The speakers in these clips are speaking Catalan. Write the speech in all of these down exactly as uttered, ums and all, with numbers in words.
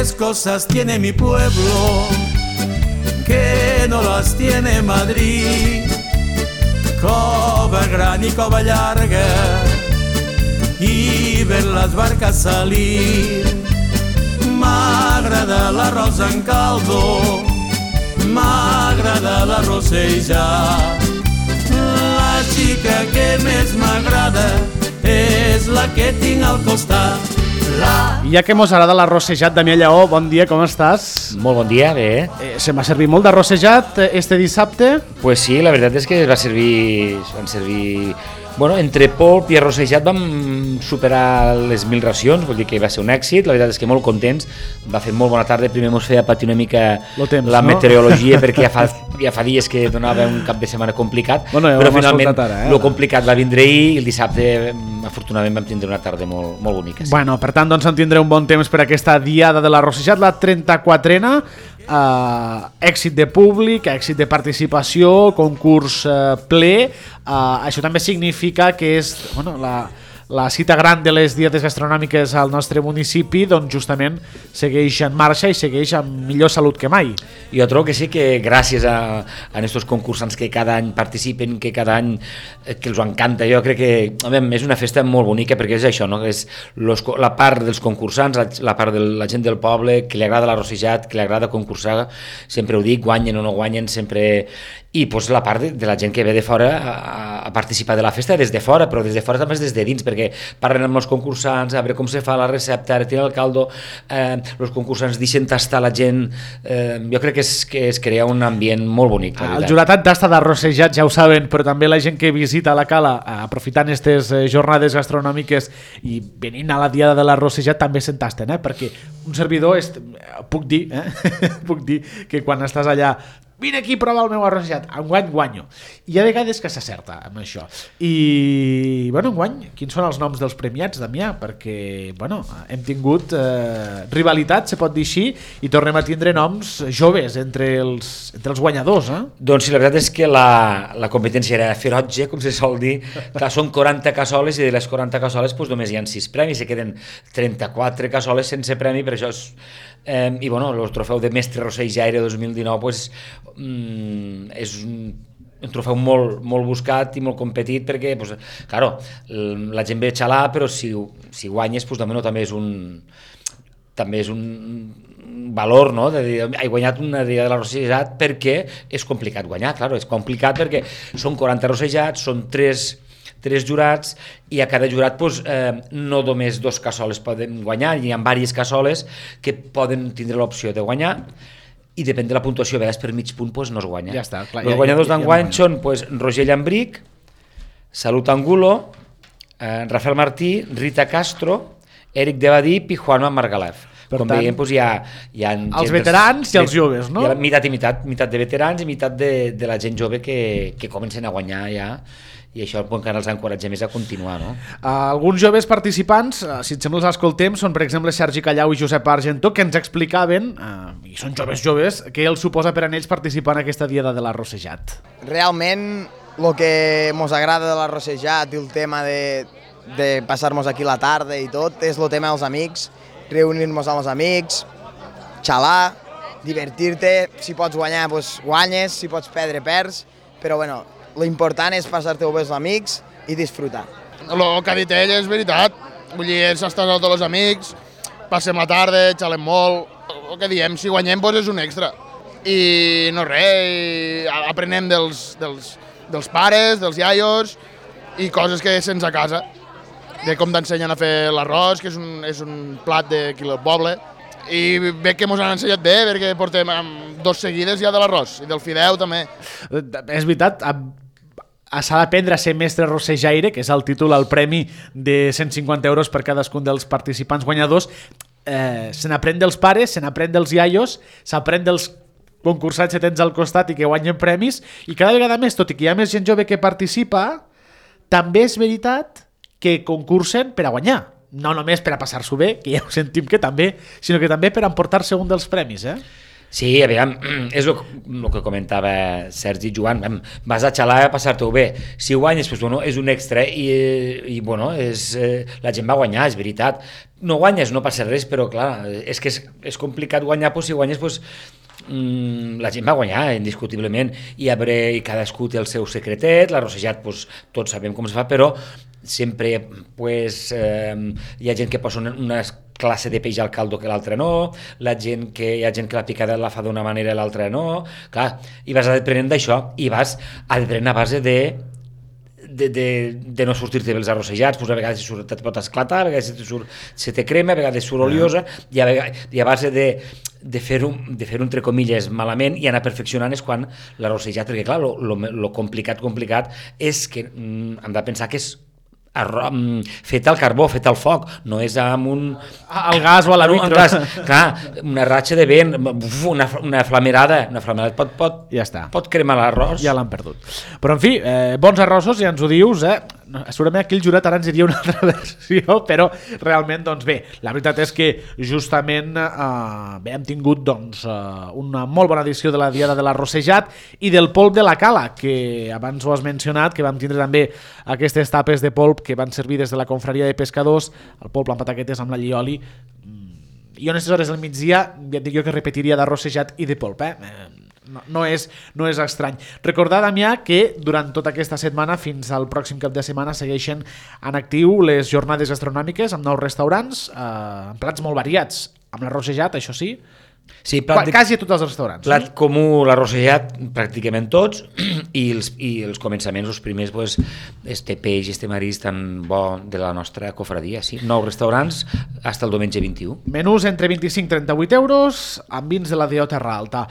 tres cosas tiene mi pueblo que no las tiene Madrid: cova gran y cova larga, y ver las barcas salir. M'agrada l'arròs en caldo, m'agrada la rossejat. La xica que més m'agrada és la que tinc al costat. La... I ja que mos agrada l'arrossejat, Damià Lleó, bon dia, com estàs? Molt bon dia, bé. Eh, se m'ha servit molt d'arrossejat este dissabte? Pues sí, la veritat és que va servir, van servir... Bueno, entre polp i arrossejat vam superar les mil racions, vull dir que va ser un èxit, la veritat és que molt contents, va fer molt bona tarda, primer mos feia patir una mica temps, la no? meteorologia perquè ja fa, ja fa dies que donava un cap de setmana complicat, bueno, ja però finalment ara, eh? lo complicat va vindre ahir i el dissabte afortunadament vam tindre una tarda molt, molt bonica. Sí. Bueno, per tant, doncs en tindré un bon temps per aquesta diada de l'arrossejat, la trenta-quatrena, Uh, èxit de públic, èxit de participació, concurs uh, ple. Uh, això també significa que és bueno, la, la cita gran de les dietes gastronòmiques al nostre municipi, doncs justament segueix en marxa i segueix amb millor salut que mai. Jo trobo que sí que gràcies a, a estos concursants que cada any participen, que cada any que els encanta, jo crec que a veure, és una festa molt bonica perquè és això, no? És los, la part dels concursants, la, la part de la gent del poble, que li agrada l'arrossejat, que li agrada concursar, sempre ho dic, guanyen o no guanyen, sempre... I pues, la part de, de la gent que ve de fora a, a participar de la festa des de fora, però des de fora també des de dins, perquè parlen amb els concursants, a veure com se fa la recepta, ara tira el caldo, eh, els concursants deixen tastar la gent, eh, jo crec que es, que es crea un ambient molt bonic. El jurat tasta d'arrossejat, ja ho saben, però també la gent que visita la cala, aprofitant aquestes jornades gastronòmiques i venint a la diada de l'arrossejat, també se'n tasten, eh? Perquè un servidor, és, puc dir, eh? puc dir que quan estàs allà vine aquí a provar el meu arrossejat, enguany guanyo. I hi ha vegades que s'acerta amb això. I, bueno, enguany, quins són els noms dels premiats, Damià? Perquè, bueno, hem tingut eh, rivalitat, se pot dir així, i tornem a tindre noms joves entre els, entre els guanyadors, eh? Doncs sí, la veritat és que la, la competència era ferotge, com se sol dir. Clar, són quaranta cassoles i de les quaranta cassoles doncs, només hi ha sis premis, se queden trenta-quatre cassoles sense premi, per això és... Eh, i bueno, el trofeu de mestre rossejaire dos mil dinou pues, mm, és un, un trofeu molt, molt buscat i molt competit perquè pues, claro, la gent ve a xalar però si, si guanyes pues, també, no, també és un també és un valor, no? De dir, he guanyat una dia de l'arrossejat perquè és complicat guanyar, claro, és complicat perquè són quaranta arrossejats, són tres tres jurats i a cada jurat pues, eh, no només dos cassoles poden guanyar, hi ha diverses cassoles que poden tindre l'opció de guanyar i depèn de la puntuació, a vegades per mig punt pues, no es guanya. Ja està, clar, els ja, guanyadors ja, ja, d'enguany ja són pues, Roger Llambric, Salut Angulo, eh, Rafael Martí, Rita Castro, Eric de Badip i Juanma Margalef. Per Com tant, veiem, doncs, hi ha, hi ha els veterans i els joves, no? Hi ha meitat i meitat, meitat de veterans i meitat de, de la gent jove que, que comencen a guanyar ja, i això encara els encoratja més a continuar, no? Uh, alguns joves participants, uh, si et sembla els escoltem, són per exemple Sergi Callau i Josep Argentó, que ens explicaven, uh, i són joves joves, què els suposa per a ells participar en aquesta diada de l'arrossejat. Realment, el que ens agrada de l'arrossejat i el tema de, de passar-nos aquí la tarda i tot, és el tema dels amics, reunir-nos amb els amics, xalar, divertir-te, si pots guanyar, doncs guanyes, si pots perdre, perds, però bueno, l'important és passar-te-ho bé els amics i disfrutar. El que ha dit ell és veritat, vull dir, s'està amb tots els amics, passem la tarda, xalem molt, el que diem, si guanyem doncs és un extra. I no res, aprenem dels, dels, dels pares, dels iaios i coses que sents a casa, de com t'ensenyen a fer l'arròs, que és un, és un plat d'aquí del poble, i veig que ens han ensenyat bé, perquè portem dos seguides ja de l'arròs, i del fideu també. És veritat, s'ha d'aprendre a ser mestre rossejaire, que és el títol, el premi de cent cinquanta euros per cadascun dels participants guanyadors. Eh, se n'aprèn dels pares, se n'aprèn dels iaios, s'aprèn dels concursants que tens al costat i que guanyen premis, i cada vegada més, tot i que hi ha més gent jove que participa, també és veritat que concursen per a guanyar. No només per a passar-s'ho bé, que ja ho sentim que també, sinó que també per a emportar-se un dels premis, eh? Sí, aviam, és el, el que comentava Sergi i Joan, vas a xalar a passar-t'ho bé, si guanyes, doncs, bueno, és un extra i, i bueno, és, eh, la gent va guanyar, és veritat, no guanyes, no passa res, però clar, és que és, és complicat guanyar, doncs, si guanyes, doncs, mm, la gent va guanyar, indiscutiblement, i, veure, i cadascú té el seu secretet, l'arrossejat, doncs, tots sabem com es fa, però sempre pues, eh, hi ha gent que posa una, una classe de peix al caldo que l'altra no, la gent que, hi ha gent que la picada la fa d'una manera i l'altra no, clar, i vas aprenent d'això, i vas aprenent a base de De, de, de no sortir-te bé els arrossejats, pues a vegades surt, et pot esclatar, a vegades se, surt, se te crema, a vegades surt oliosa, i a, vegades, i a base de, de fer-ho, de fer-ho entre comilles malament i anar perfeccionant és quan l'arrossejat, perquè clar, lo, lo, lo complicat, complicat és que mm, hem de pensar que és arro, fet al carbó, fet al foc, no és amb un... Al gas o a la vitro. Clar, una ratxa de vent, una, una flamerada, una flamerada pot, pot, ja està. Pot cremar l'arròs. Ja l'han perdut. Però en fi, eh, bons arrossos, ja ens ho dius, eh? Segurament aquí el jurat ara ens diria una altra versió, però realment, doncs bé, la veritat és que justament eh, bé, hem tingut doncs, eh, una molt bona edició de la Diada de l'Arrossejat i del polp de la Cala, que abans ho has mencionat, que vam tindre també aquestes tapes de polp que van servir des de la confraria de pescadors, el polp amb pataquetes amb la llioli, i en aquestes hores del migdia ja et dic jo que repetiria d'arrossejat i de polp, eh? No, no, és, no és estrany. Recordar, Damià, que durant tota aquesta setmana fins al pròxim cap de setmana segueixen en actiu les jornades gastronòmiques amb nous restaurants, eh, amb plats molt variats, amb l'arrossejat, això sí, sí, plat de, quasi a tots els restaurants. Plat sí? comú, l'arrossejat, pràcticament tots, i els, i els començaments, els primers, pues, este peix, este marís tan bo de la nostra cofradia, sí. Nou restaurants, fins al diumenge vint-i-u. Menús entre vint-i-cinc i trenta-vuit euros, amb vins de la D O Terra Alta.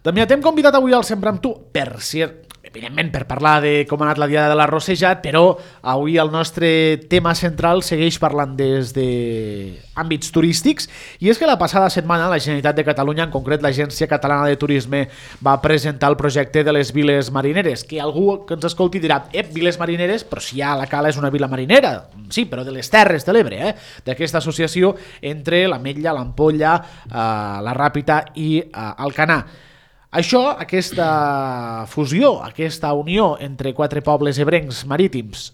Damià, t'hem convidat avui al Sempre amb tu, per ser, evidentment, per parlar de com ha anat la Diada de l'Arrossejat, però avui el nostre tema central segueix parlant des d'àmbits turístics, i és que la passada setmana la Generalitat de Catalunya, en concret l'Agència Catalana de Turisme, va presentar el projecte de les viles marineres, que algú que ens escolti dirà, ep, viles marineres, però si ja la Cala és una vila marinera, sí, però de les Terres de l'Ebre, eh? D'aquesta associació entre l'Ametlla, l'Ampolla, eh, la Ràpita i eh, Alcanar. Això, aquesta fusió, aquesta unió entre quatre pobles ebrencs marítims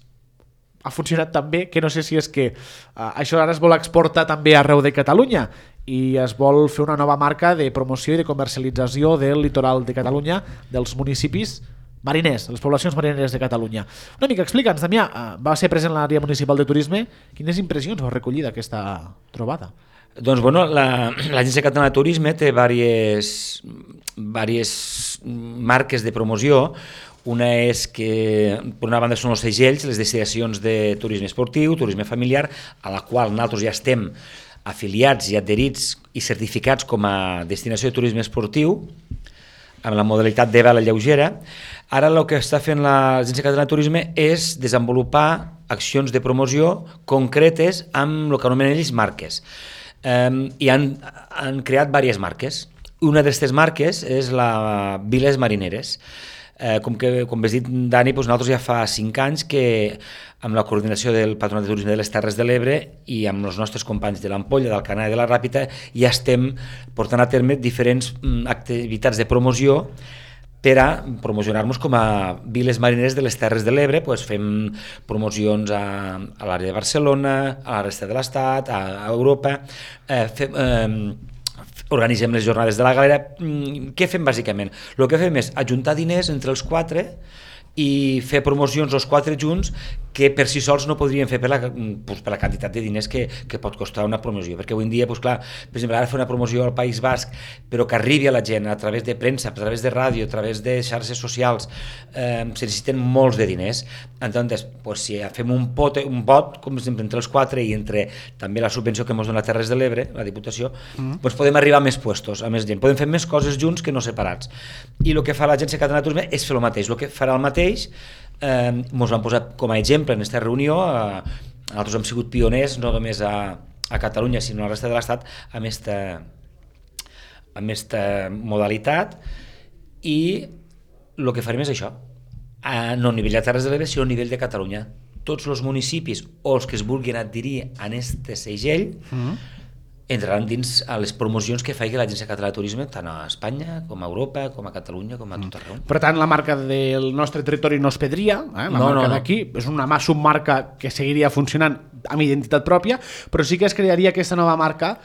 ha funcionat tan bé que no sé si és que uh, això ara es vol exportar també arreu de Catalunya i es vol fer una nova marca de promoció i de comercialització del litoral de Catalunya, dels municipis mariners, les poblacions marineres de Catalunya. Una mica, explica'ns, Damià, uh, va ser present l'àrea municipal de turisme, quines impressions va recollir d'aquesta trobada? Doncs bueno, l'Agència la, Catalana de Turisme té diverses, diverses marques de promoció. Una és que, per una banda, són els segells, les destinacions de turisme esportiu, turisme familiar, a la qual nosaltres ja estem afiliats i adherits i certificats com a destinació de turisme esportiu, amb la modalitat de vela lleugera. Ara el que està fent l'Agència Catalana de Turisme és desenvolupar accions de promoció concretes amb el que anomenen ells marques. Um, i han, han creat diverses marques. Una d'aquestes marques és la Viles Marineres. Uh, com, que, com has dit, Dani, doncs nosaltres ja fa cinc anys que amb la coordinació del Patronat de Turisme de les Terres de l'Ebre i amb els nostres companys de l'Ampolla, del Canà i de la Ràpita ja estem portant a terme diferents um, activitats de promoció per a promocionar-nos com a viles marineres de les Terres de l'Ebre. Pues fem promocions a, a l'àrea de Barcelona, a la resta de l'Estat, a, a Europa, eh, fem, eh, organitzem les jornades de la galera. Què fem bàsicament? El que fem és ajuntar diners entre els quatre i fer promocions els quatre junts que per si sols no podrien fer per la, pues, per la quantitat de diners que, que pot costar una promoció, perquè avui en dia, pues, clar, per exemple, ara fer una promoció al País Basc però que arribi a la gent a través de premsa, a través de ràdio, a través de xarxes socials, eh, se necessiten molts de diners. Entonces, pues, si fem un pot, un pot com sempre entre els quatre i entre també la subvenció que ens dona Terres de l'Ebre, la Diputació, mm. pues, podem arribar a més puestos, a més gent, podem fer més coses junts que no separats. I el que fa l'Agència Catalana de Turisme és fer el mateix, el que farà el mateix. Eh, ens vam posar com a exemple en aquesta reunió. Eh, nosaltres hem sigut pioners no només a, a Catalunya sinó a la resta de l'Estat amb aquesta amb aquesta modalitat, i el que farem és això, a, no a nivell de Terres de l'Ebre sinó a nivell de Catalunya. Tots els municipis o els que es vulguin adherir a aquest segell mm. entraran dins a les promocions que faci l'Agència Catalana de Turisme tant a Espanya com a Europa, com a Catalunya, com a tot arreu. Per tant, la marca del nostre territori no es perdria, eh? la no, marca no, no. d'aquí és una submarca que seguiria funcionant amb identitat pròpia, però sí que es crearia aquesta nova marca,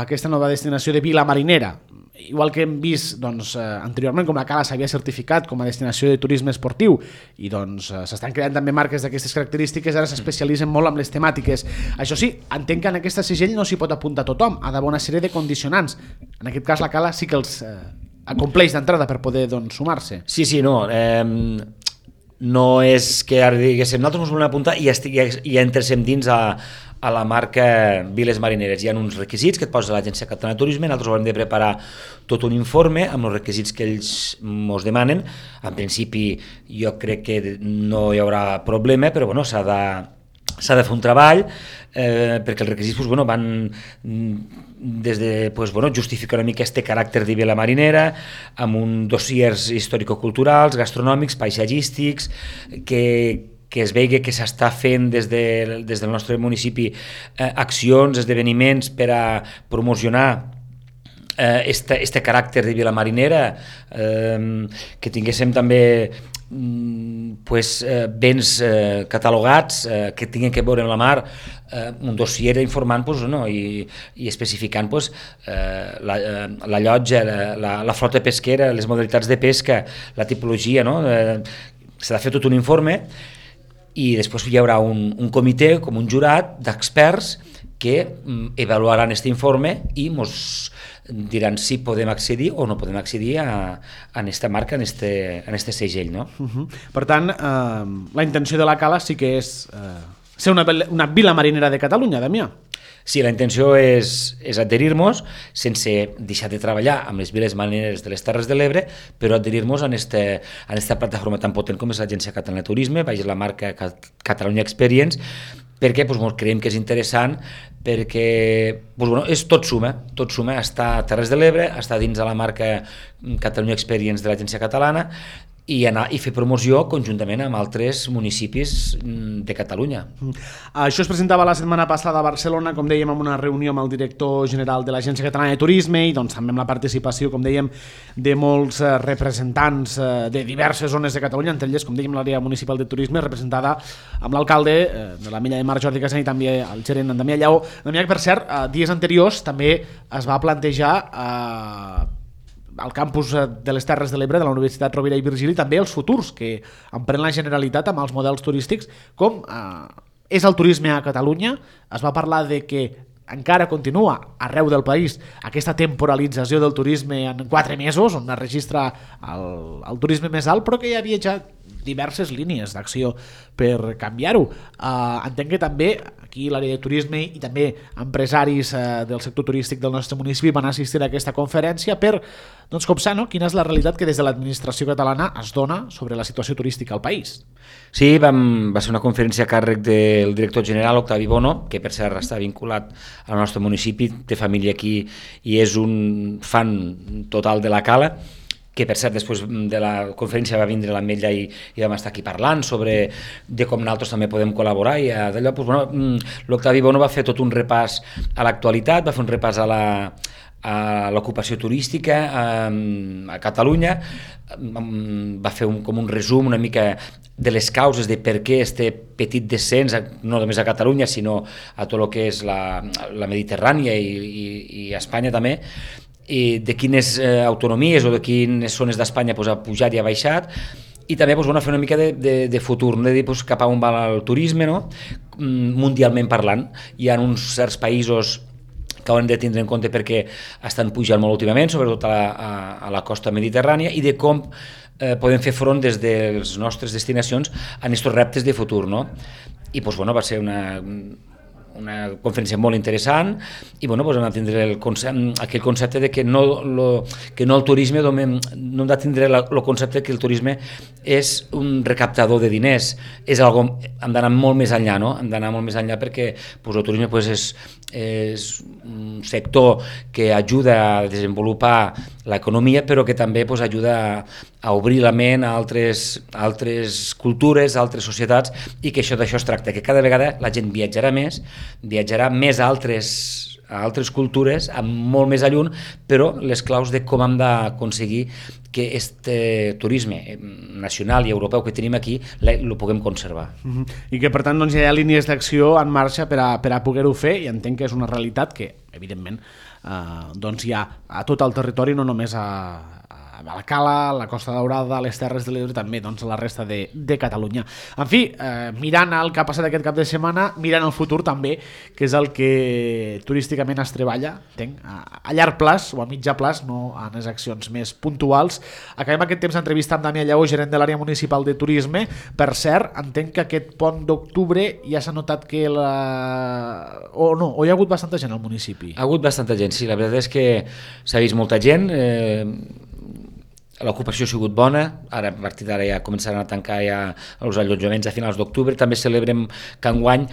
aquesta nova destinació de Vila Marinera. Igual que hem vist doncs, eh, anteriorment com la Cala s'havia certificat com a destinació de turisme esportiu i doncs eh, s'estan creant també marques d'aquestes característiques, ara s'especialitzen molt amb les temàtiques. Això sí, entenc que en aquesta segell no s'hi pot apuntar tothom, ha d'haver una sèrie de condicionants. En aquest cas la Cala sí que els eh, acompleix d'entrada per poder doncs, sumar-se. Sí, sí, no. Eh, no és que ara diguéssim, nosaltres ens volem apuntar i, estigui, i entréssim dins a, a la marca Viles Marineres. Hi ha uns requisits que et posa l'Agència Catalana de Turisme, nosaltres haurem de preparar tot un informe amb els requisits que ells ens demanen. En principi jo crec que no hi haurà problema, però bueno, s'ha de, s'ha de fer un treball eh, perquè els requisits pues, bueno, van des de pues, bueno, justificar una mica este caràcter de Vila Marinera amb un dossiers històrico-culturals, gastronòmics, paisatgístics, que que es vegi que s'està fent des, de, des del nostre municipi eh, accions, esdeveniments per a promocionar eh, este, este caràcter de Vila Marinera, eh, que tinguéssim també mm, pues, eh, béns eh, catalogats eh, que tinguin que veure amb la mar, eh, un dossier informant pues, no, i, i especificant pues, eh, la, eh, la llotja, la, la, la flota pesquera, les modalitats de pesca, la tipologia, no? eh, s'ha de fer tot un informe i després hi haurà un, un comitè, com un jurat d'experts que mm, avaluaran aquest informe i ens diran si podem accedir o no podem accedir a, a aquesta marca, en este, en este segell. No? Uh-huh. Per tant, eh, la intenció de la Cala sí que és eh, ser una, una vila marinera de Catalunya, Damià. Sí, la intenció és, és adherir-nos sense deixar de treballar amb les viles marineres de les Terres de l'Ebre, però adherir-nos a aquesta plataforma tan potent com és l'Agència Catalana de Turisme, baix la marca Catalunya Experience, perquè doncs, creiem que és interessant, perquè doncs, bueno, és tot suma, tot suma, està a Terres de l'Ebre, està dins de la marca Catalunya Experience de l'Agència Catalana, i anar i fer promoció conjuntament amb altres municipis de Catalunya. Això es presentava la setmana passada a Barcelona, com dèiem, en una reunió amb el director general de l'Agència Catalana de Turisme i doncs, també amb la participació, com dèiem, de molts eh, representants eh, de diverses zones de Catalunya, entre elles, com dèiem, l'àrea municipal de turisme, representada amb l'alcalde eh, de la Milla de Mar, Jordi Casany, i també el gerent, en Damià Lleó. Damià, per cert, eh, dies anteriors també es va plantejar eh, al campus de les Terres de l'Ebre de la Universitat Rovira i Virgili també els futurs que emprèn la Generalitat amb els models turístics, com eh, és el turisme a Catalunya. Es va parlar de que encara continua arreu del país aquesta temporalització del turisme en quatre mesos, on es registra el, el turisme més alt, però que hi havia ja diverses línies d'acció per canviar-ho. Uh, entenc que també aquí l'àrea de turisme i també empresaris uh, del sector turístic del nostre municipi van assistir a aquesta conferència per doncs, copsar no? quina és la realitat que des de l'administració catalana es dona sobre la situació turística al país. Sí, vam, va ser una conferència a càrrec del director general Octavi Bono, que per cert està vinculat al nostre municipi, té família aquí i és un fan total de la Cala, que per cert després de la conferència va vindre l'Ametlla i, i vam estar aquí parlant sobre de com nosaltres també podem col·laborar i d'allò, doncs, bueno, l'Octavi Bono va fer tot un repàs a l'actualitat, va fer un repàs a la a l'ocupació turística a, a Catalunya, va fer un, com un resum una mica de les causes de per què este petit descens, no només a Catalunya sinó a tot el que és la, la Mediterrània i, i, i a Espanya també, i de quines eh, autonomies o de quines zones d'Espanya pues, ha pujat i ha baixat, i també pues, bueno, fer una mica de, de, de futur, no? De dir pues, cap a on va el turisme, no? Mundialment parlant. Hi ha uns certs països que haurem de tindre en compte perquè estan pujant molt últimament, sobretot a la, a, a la costa mediterrània, i de com eh, podem fer front des de les nostres destinacions a aquests reptes de futur, no? I pues, bueno, va ser una... una conferència molt interessant i bueno, doncs hem de tindre el concepte, aquell concepte de que no, lo, que no el turisme no hem de tindre el concepte que el turisme és un recaptador de diners, és algo, hem d'anar molt més enllà, no? Hem d'anar molt més enllà perquè doncs, el turisme doncs, és, és un sector que ajuda a desenvolupar l'economia però que també doncs, ajuda a, a obrir la ment a altres, a altres cultures, a altres societats, i que això d'això es tracta, que cada vegada la gent viatjarà més, viatjarà més a altres, a altres cultures, amb molt més alluny, però les claus de com hem d'aconseguir que este turisme nacional i europeu que tenim aquí el puguem conservar. Uh-huh. I que, per tant, doncs, hi ha línies d'acció en marxa per a, per a poder-ho fer, i entenc que és una realitat que, evidentment, eh, doncs hi ha a tot el territori, no només a, a la Cala, la Costa Daurada, les Terres de l'Ebre, també doncs, a la resta de, de Catalunya. En fi, eh, mirant el que ha passat aquest cap de setmana, mirant el futur també, que és el que turísticament es treballa, entenc, a, a llarg plaç o a mitjà plaç, no en les accions més puntuals. Acabem aquest temps d'entrevista amb Damià Lleó, gerent de l'àrea municipal de turisme. Per cert, entenc que aquest pont d'octubre ja s'ha notat que la... o no, o hi ha hagut bastanta gent al municipi? Ha hagut bastanta gent, sí, la veritat és que s'ha vist molta gent, eh, l'ocupació ha sigut bona, ara a partir d'ara ja començaran a tancar ja els allotjaments a finals d'octubre, també celebrem que enguany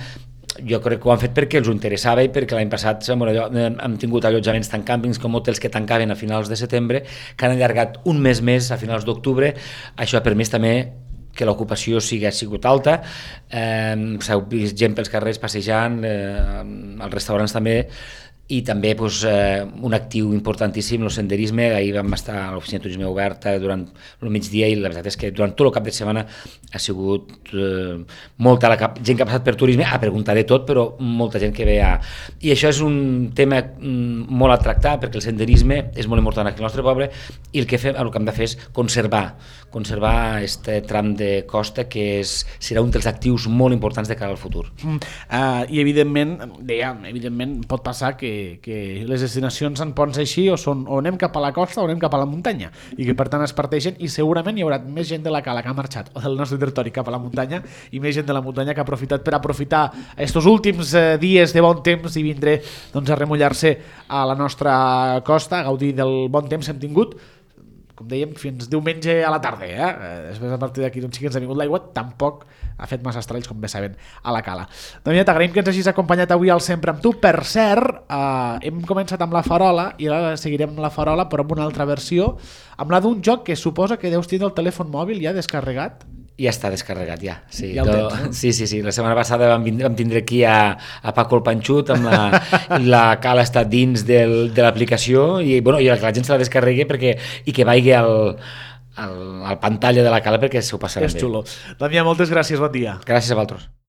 jo crec que ho han fet perquè els ho interessava i perquè l'any passat hem tingut allotjaments tant càmpings com hotels que tancaven a finals de setembre, que han allargat un mes més a finals d'octubre. Això ha permès també que l'ocupació sigui, ha sigut alta, eh, s'ha vist gent pels carrers passejant, eh, als restaurants també, i també doncs, eh, un actiu importantíssim, el senderisme. Ahir vam estar a l'oficina de turisme oberta durant el migdia i la veritat és que durant tot el cap de setmana ha sigut eh, molta la cap, gent que ha passat per turisme a preguntar de tot, però molta gent que ve a... I això és un tema mm, molt a tractar, perquè el senderisme és molt important aquí al nostre poble i el que, fem, el que hem de fer és conservar conservar aquest tram de costa que és, serà un dels actius molt importants de cara al futur. Mm, uh, I evidentment, dèiem, evidentment pot passar que que les destinacions en ponts així o, són, o anem cap a la costa o anem cap a la muntanya, i que per tant es parteixen, i segurament hi haurà més gent de la Cala que ha marxat o del nostre territori cap a la muntanya i més gent de la muntanya que ha aprofitat per aprofitar estos últims eh, dies de bon temps i vindré doncs, a remullar-se a la nostra costa, a gaudir del bon temps que hem tingut, com dèiem, fins diumenge a la tarda. Eh? Després, a partir d'aquí, doncs sí que ens ha vingut l'aigua, tampoc ha fet massa estralls, com bé saben, a la Cala. Damià, t'agraïm que ens hagis acompanyat avui al Sempre amb tu. Per cert, eh, hem començat amb la farola i ara seguirem amb la farola, però amb una altra versió, amb la d'un joc que suposa que deus tenir el telèfon mòbil ja descarregat. Ja està descarregat, ja. Sí, ja el tens, no? no? sí, sí, sí. La setmana passada vam, vindre, vam tindre aquí a, a Paco el Panxut, amb la, la Cala està dins del, de l'aplicació i, bueno, i que la gent se la descarregui perquè, i que vagi al, al, al pantalla de la Cala perquè s'ho passaran bé. És xulo. Damià, moltes gràcies, bon dia. Gràcies a vosaltres.